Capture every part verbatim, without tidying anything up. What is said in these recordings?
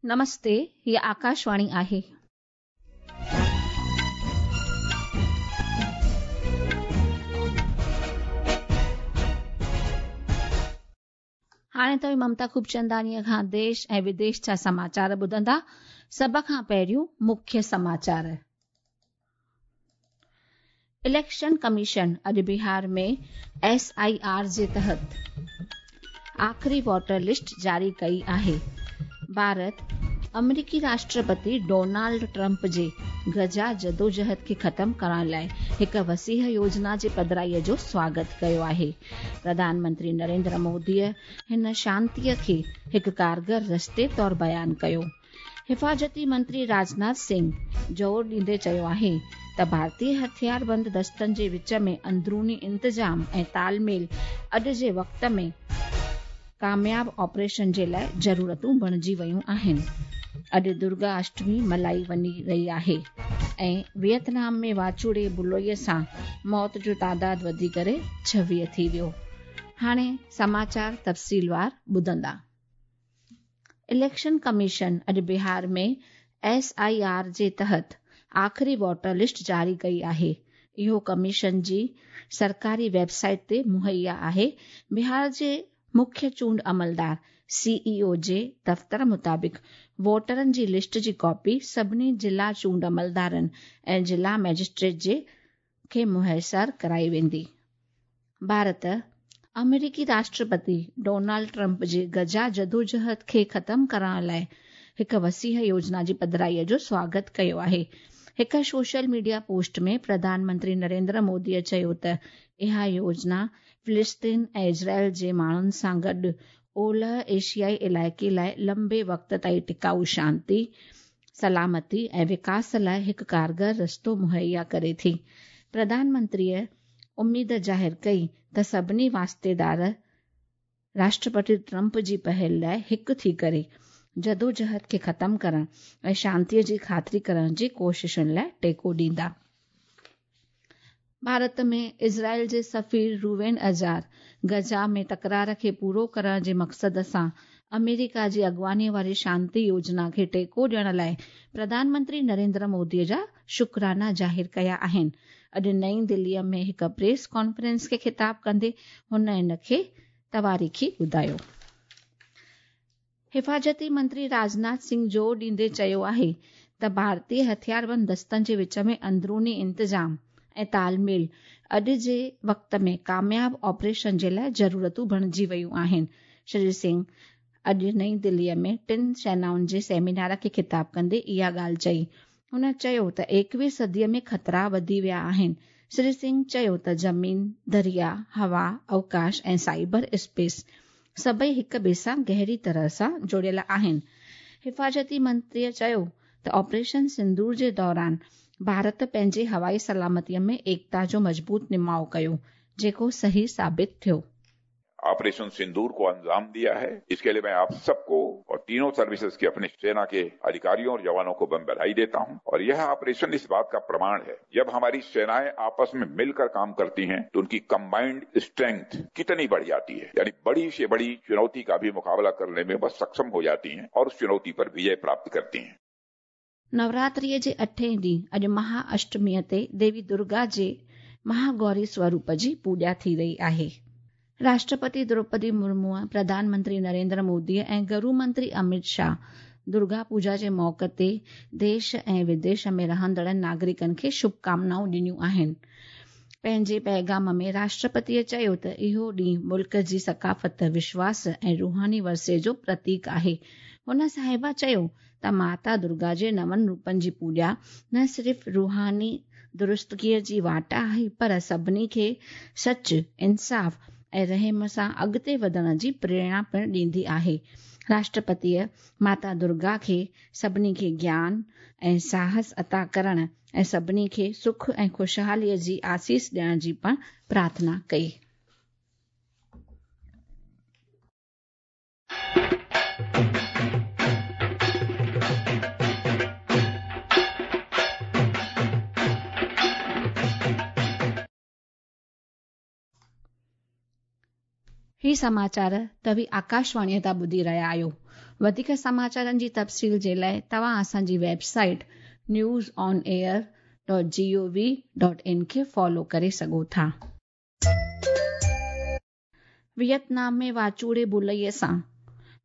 नमस्ते, ही आकाशवाणी आहे. हाणे तव्हीं ममता खूबचंदानीअ खां देश ऐं विदेश जा समाचार ॿुधंदा. सभ खां पहिरियों मुख्य समाचार. इलेक्शन कमीशन अॼु बिहार में एस I R जे तहत आख़िरी वोटर लिस्ट जारी कई आहे. भारत अमेरिकी राष्ट्रपति डोनाल्ड ट्रंप जे गजा जदोजहद खे ख़तम करण लाइ हिकु वसीह योजना जे पधराईअ जो स्वागत कयो आहे. प्रधानमंत्री नरेंद्र मोदीअ हिन शांतीअ खे हिकु कारगर रस्ते तौर बयान कयो. हिफाज़ती मंत्री राजनाथ सिंह ज़ोर ॾींदे चयो आहे त भारतीय हथियारबंद दस्तनि जे विच में अंदरूनी इंतज़ाम ऐं तालमेल अॼु जे वक़्त में कामयाब ऑपरेशन जे लाइ ज़रूरतूं बणिजी वयूं आहिनि. अॼु दुर्गा अष्टमी मल्हाई वञी रही आहे ऐं वियतनाम में वाचूड़े बुलोईअ सां मौत जो तादाद वधी करे छवीह थी वियो. हाणे समाचार तफ़सीलवार ॿुधंदा. इलेक्शन कमीशन अॼु बिहार में एस I R जे तहत आख़िरी वोटर लिस्ट जारी कई आहे. इहो कमीशन जी सरकारी वेबसाइट ते मुहैया आहे. बिहार जे मुख्य चूंड अमलदार सी ई ओ जे दफ़्तर मुताबिक़ वोटरनि जी लिस्ट जी कॉपी सभिनी ज़िला चूंड अमलदारनि ऐं ज़िला मैजिस्ट्रेट जे खे मुयसर कराई वेंदी. भारत अमेरिकी राष्ट्रपति डोनाल्ड ट्रंप जे गजा जदोजहद खे ख़तम करण लाइ हिकु वसीह योजना जी पधराईअ जो स्वागत कयो आहे. हिकु सोशल मीडिया पोस्ट में प्रधानमंत्री नरेंद्र मोदीअ चयो त इहा योजना फ़िलिस्तीन ऐं इज़राइल जे माण्हुनि सां गॾु ओलह एशियाई इलाइक़े लाइ लंबे वक़्त ताईं टिकाऊ शांति, सलामती ऐं विकास लाइ हिकु कारगर रस्तो मुहैया करे थी. प्रधानमंत्रीअ उम्मीद ज़ाहिर कई त सभिनी वास्तेदार राष्ट्रपति ट्रंप जी पहल लाइ हिकु थी करे जदोजहद खे ख़तम करण ऐं शांतीअ जी ख़ातिरी करण जी कोशिशुनि लाइ टेको ॾींदा. भारत में इज़राइल जे सफ़ीर रूवेन अजार गजा में तकरार खे पूरो करण जे मक़सद सां अमेरिका जी अॻुवानीअ वारी शांति योजना खे टेको ॾियण लाइ प्रधानमंत्री नरेंद्र मोदीअ जा शुक्राना ज़ाहिर कया आहिनि. अॼु नई दिल्लीअ में हिकु प्रेस कॉन्फ्रेंस खे ख़िताब कंदे हुन इन खे तवारीख़ी ॿुधायो. हिफाज़ती मंत्री राजनाथ सिंह ज़ोर ॾींदे चयो आहे त भारतीय हथियारबंद दस्तनि जे विच में अंदरूनी इंतज़ाम ऐं तालमेल अॼु जे वक़्त में कामयाब ऑपरेशन जे लाइ ज़रूरतूं बणिजी वयूं आहिनि. श्री सिंह अॼु नई दिल्लीअ में टिनि सेनाउनि जे सेमिनार खे ख़िताब कंदे इहा ॻाल्हि चई. हुन चयो त एकवीह सदीअ में ख़तरा वधी विया आहिनि. श्री सिंह चयो त ज़मीन, दरिया, हवा, अवकाश ऐं साइबर स्पेस सभई हिक ॿिए सां गहरी तरह सां जुड़ियल आहिनि. हिफाज़ती मंत्रीअ चयो त ऑपरेशन सिंदूर जे दौरान भारत पंहिंजी हवाई सलामतीअ में एकता जो मज़बूत निमाउ कयो, जेको सही साबित थियो. ऑपरेशन सिंदूर को अंजाम दिया है, इसके लिए मैं आप सबको और तीनों सर्विसेज के अपनी सेना के अधिकारियों और जवानों को मैं बधाई देता हूं. और यह ऑपरेशन इस बात का प्रमाण है, जब हमारी सेनाएं आपस में मिलकर काम करती हैं तो उनकी कंबाइंड स्ट्रेंथ कितनी बढ़ जाती है, यानी बड़ी से बड़ी चुनौती का भी मुकाबला करने में वह सक्षम हो जाती है और उस चुनौती पर विजय प्राप्त करती है. नवरात्रीअ जे अठें ॾींहुं अॼु महा अष्टमीअ ते देवी दुर्गा जे महागौरी स्वरूप जी पूॼा थी रही आहे. राष्ट्रपति द्रौपदी मुर्मूअ, प्रधानमंत्री नरेंद्र मोदीअ ऐं गृह मंत्री अमित शाह दुर्गा पूजा जे मौक़े ते देश ऐं विदेश में रहंदड़ नागरिकनि खे शुभकामनाऊं ॾिनियूं आहिनि. पंहिंजे पैगाम में राष्ट्रपतीअ चयो त इहो ॾींहुं मुल्क जी सकाफ़त, विश्वास ऐं रूहानी वरसे जो प्रतीक आहे. हुन साहिबा चयो त माता दुर्गा जे नवनि रूपनि जी पूॼा न सिर्फ़ रूहानी दुरुस्तगीअ जी वाट आहे, पर सभिनी खे सच, इंसाफ़ ऐं रहम सां अॻिते वधण जी प्रेरणा पिणु ॾींदी आहे. राष्ट्रपतीअ माता दुर्गा खे सभिनी खे ज्ञान ऐं साहस अता करण ऐं सभिनी खे सुख ऐं ख़ुशहालीअ जी आसीस ॾियण जी पिणु प्रार्थना कई. ही समाचार तव्हीं आकाशवाणीअ तां ॿुधी रहिया आहियो. वधीक समाचारनि जी तफ़सील जे लाइ तव्हां असांजी website news on air dot G O V dot in खे फॉलो करे सघो था। वियतनाम में वाचूड़े बुलईअ सां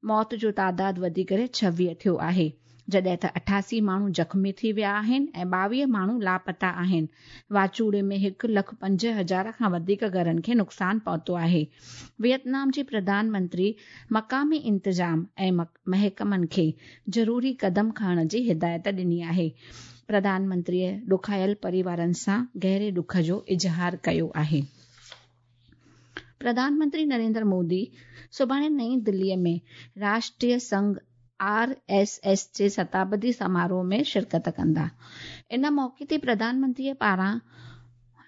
मौत जो तादाद वधी करे छवीह थियो आहे, जॾहिं त अठासी माण्हू ज़ख़्मी थी विया आहिनि ऐं ॿावीह माण्हू लापता आहिनि। वाचूड़े में हिकु लख पंज हज़ार खां वधीक घरनि खे नुक़सानु पहुतो आहे। वियतनाम जे प्रधानमंत्री मक़ामी इंतज़ाम ऐं महकमनि खे ज़रूरी क़दम खणण जी हिदायत ॾिनी आहे। प्रधानमंत्रीअ ॾुखायल परिवारनि सां गहरे ॾुख जो इज़हार कयो आहे। प्रधानमंत्री नरेंद्र मोदी सुभाणे नई दिल्लीअ में राष्ट्रीय संघ आर एस एस जे शताब्दी समारोह में शिरकत कंदा। इन मौक़े ते प्रधानमंत्रीअ पारां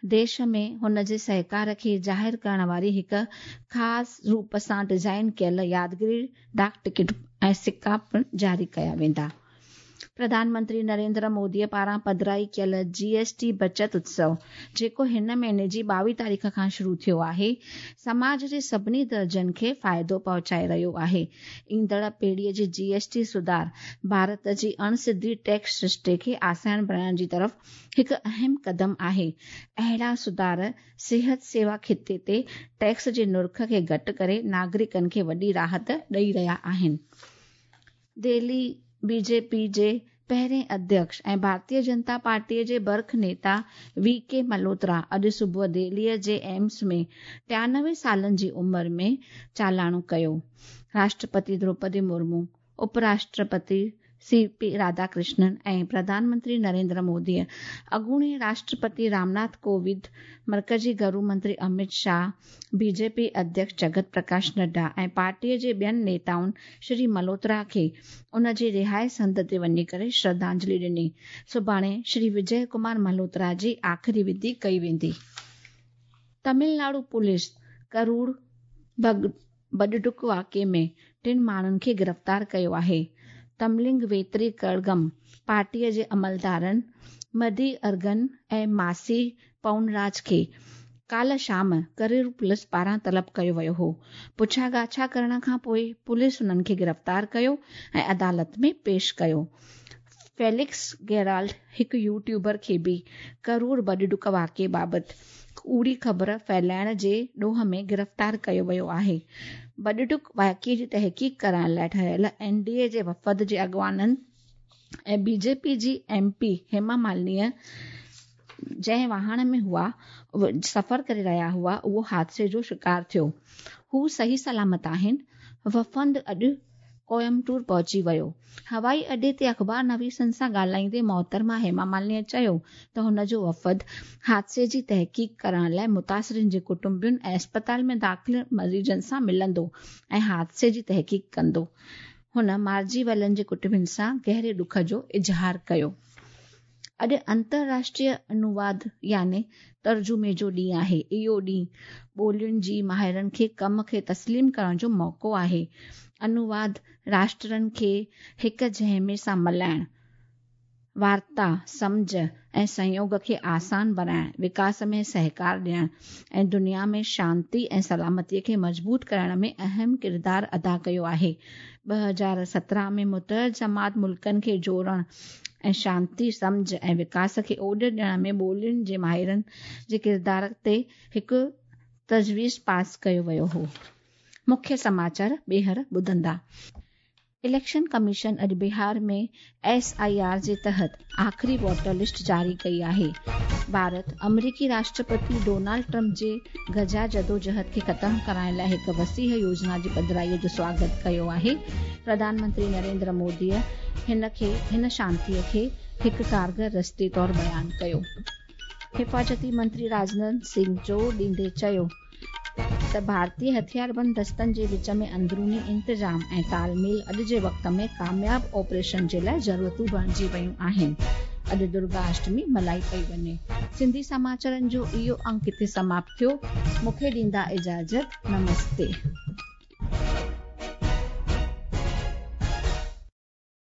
देश में हुन जे सहकार खे ज़ाहिर करण वारी हिकु ख़ासि रूप सां डिज़ाइन कयल यादगिरी डाक टिकट ऐं सिक्का पिणु जारी कया वेंदा। प्रधानमंत्री नरेंद्र मोदीअ पारां पधराई कयल जी एस टी बचत उत्सव, जेको हिन महीने जी ॿावीह तारीख़ खां शुरू थियो आहे, समाज जे सभिनी दर्जनि खे फ़ाइदो पहुचाए रहियो आहे। ईंदड़ पीढ़ीअ जे जी एस टी सुधार भारत जी अणसिधी टैक्स सरिश्ते खे आसान बणाइण जी तरफ़ हिकु अहम क़दम आहे। अहिड़ा सुधार सिहत सेवा खिते ते टैक्स जे नुर्ख़ खे घटि करे नागरिकनि खे वॾी राहत ॾेई रहिया आहिनि। दिल्ली बीजेपी जे पहिरें अध्यक्ष ऐं भारतीय जनता पार्टीअ जे बर्ख नेता वी के मल्होत्रा अॼु सुबुह दिल्लीअ जे एम्स में टियानवे सालनि जी उमिरि में चालाणो कयो। राष्ट्रपति द्रौपदी मुर्मू, उपराष्ट्रपति सी पी राधाकृष्णन ऐं प्रधानमंत्री नरेंद्र मोदीअ अॻूणे राष्ट्रपति रामनाथ कोविंद, मर्कज़ी घरू मंत्री अमित शाह, बीजेपी अध्यक्ष जगत प्रकाश नड्डा ऐं पार्टीअ जे ॿियनि नेताउनि श्री मल्होत्रा खे उन जे रिहाइश हंधि ते वञी करे श्रद्धांजलि ॾिनी। सुभाणे श्री विजय कुमार मल्होत्रा जी आख़िरी विधि कई वेंदी। तमिलनाडु पुलिस करूर बडडुक वाक़िए में टिनि माण्हुनि खे गिरफ़्तार कयो आहे। तमलिंग वेतरी कड़गम पार्टीअ जे अमलदारनि मदी अरगन ऐं मासी पवनराज खे काल्ह शाम करूर पुलिस पारां तलब कयो वियो हो। पुछा ॻाछा करण खां पोइ पुलिस हुननि खे गिरफ़्तार कयो ऐं अदालत में पेश कयो। फेलिक्स गेराल्ड हिकु यूट्यूबर खे बि करूर बडडुक वाक़िए बाबति कूड़ी ख़बर फैलाइण जे ॾोह में गिरफ़्तार कयो वियो आहे। बडडुक वाक़िए जी तहक़ीक़ करण लाइ ठहियल एन डी ए जे वफ़द जे अॻवाननि ऐं बीजेपी जी एम पी हेमा मालिनीअ जंहिं वाहन में हुआ सफ़र करे रहिया हुआ उहो हादसे जो शिकार थियो। हू सही सलामत आहिनि। वफ़द अॼु कोयम्बटूर पहुची वियो। हवाई अॾे ते अख़बार नवीसनि सां ॻाल्हाईंदे मोहतरमा हेमा मालिनीअ चयो त हुन जो वफ़द हादसे जी तहक़ीक़ करण लाइ मुतासिरिन जे कुटुंबियुनि ऐं अस्पताल में दाख़िल मरीज़नि सां मिलंदो ऐं हादसे जी तहक़ीक़ कंदो। हुन मारिजी वियलनि जे कुटुंबियुनि सां गहरे ॾुख जो इज़हार कयो। अॼु अंतरराष्ट्रीय अनुवाद यानी तर्जुमे जो ॾींहुं आहे। इहो ॾींहुं ॿोलियुनि जी माहिरनि खे कम खे तस्लीम करण जो मौक़ो आहे। अनुवाद राष्ट्रनि खे हिक जंहिंमें सां मिलाइण, वार्ता, सम्झ ऐं सहयोग खे आसान बणाइण, विकास में सहकार ॾियण ऐं दुनिया में शांति ऐं सलामतीअ खे मज़बूत करण में अहम किरदारु अदा कयो आहे। ॿ हज़ार सतरहं में मुतहद जमात मुल्कनि खे जोड़ण ऐं शांति, सम्झ ऐं विकास खे ओॾ ॾियण में ॿोलियुनि जे माहिरनि जे किरदार ते हिकु तजवीज़ पास कयो वियो हो। मुख्य समाचार ॿीहर ॿुधंदा। इलेक्शन कमीशन अॼु बिहार में एस I R जे तहत आख़िरी वोटर लिस्ट जारी कई आहे। भारत अमरीकी राष्ट्रपति डोनाल्ड ट्रंप जे गजा जदोजहद खे ख़तमु कराइण लाइ हिकु वसीह योजना जी पधराईअ जो स्वागत कयो आहे। प्रधानमंत्री नरेंद्र मोदीअ हिन खे हिन शांतीअ खे हिकु कारगर रस्ते तौरु बयानु कयो। हिफाज़ती मंत्री राजनाथ सिंह ज़ोर ॾींदे चयो त भारतीय हथियारबंद दस्तनि जे विच में अंदरूनी इंतज़ाम ऐं तालमेल अॼु जे वक़्त में कामयाब ऑपरेशन जे लाइ ज़रूरतूं बणिजी वयूं आहिनि। अॼु दुर्गा अष्टमी मल्हाई पई वञे। सिंधी समाचारनि जो इहो अंक हिते समाप्त थियो। मूंखे ॾींदा इजाज़त। नमस्ते।